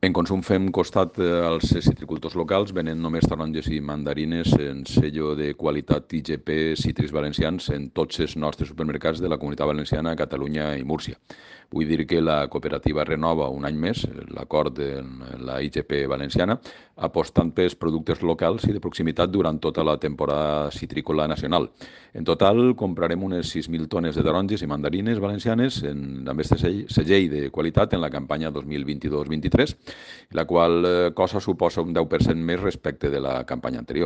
En consum fem costat als citricultors locals, venent només taronges i mandarines en sello de qualitat IGP Cítrics Valencians en tots els nostres supermercats de la Comunitat Valenciana, Catalunya i Múrcia. Vull dir que la cooperativa renova un any més l'acord de la IGP valenciana, apostant pels productes locals i de proximitat durant tota la temporada citrícola nacional. En total, comprarem unes 6.000 tones de taronges i mandarines valencianes amb aquest segell de qualitat en la campanya 2022-23, la qual cosa suposa un 10% més respecte de la campanya anterior.